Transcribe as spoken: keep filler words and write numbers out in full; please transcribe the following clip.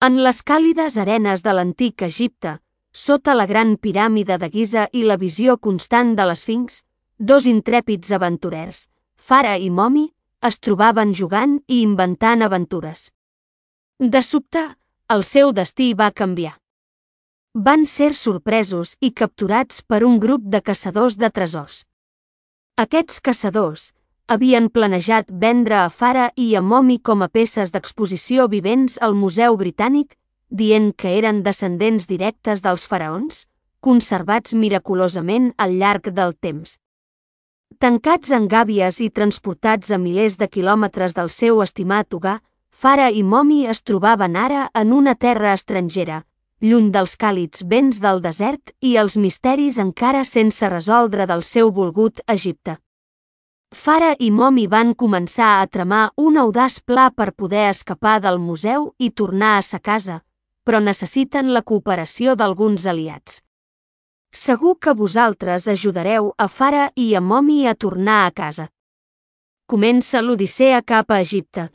En les càlides arenes de l'antic Egipte, sota la gran piràmide de Giza i la visió constant de l'Esfinx, dos intrèpids aventurers, Fara i Momi, es trobaven jugant i inventant aventures. De sobte, el seu destí va canviar. Van ser sorpresos i capturats per un grup de caçadors de tresors. Aquests caçadors havien planejat vendre a Fara i a Momi com a peces d'exposició vivents al Museu Britànic, dient que eren descendents directes dels faraons, conservats miraculosament al llarg del temps. Tancats en gàbies i transportats a milers de quilòmetres del seu estimat hogar, Fara i Momi es trobaven ara en una terra estrangera, lluny dels càlids vents del desert i els misteris encara sense resoldre del seu volgut Egipte. Fara i Momi van començar a tramar un audaç pla per poder escapar del museu i tornar a sa casa, però necessiten la cooperació d'alguns aliats. Segur que vosaltres ajudareu a Fara i a Momi a tornar a casa. Comença l'odissea cap a Egipte.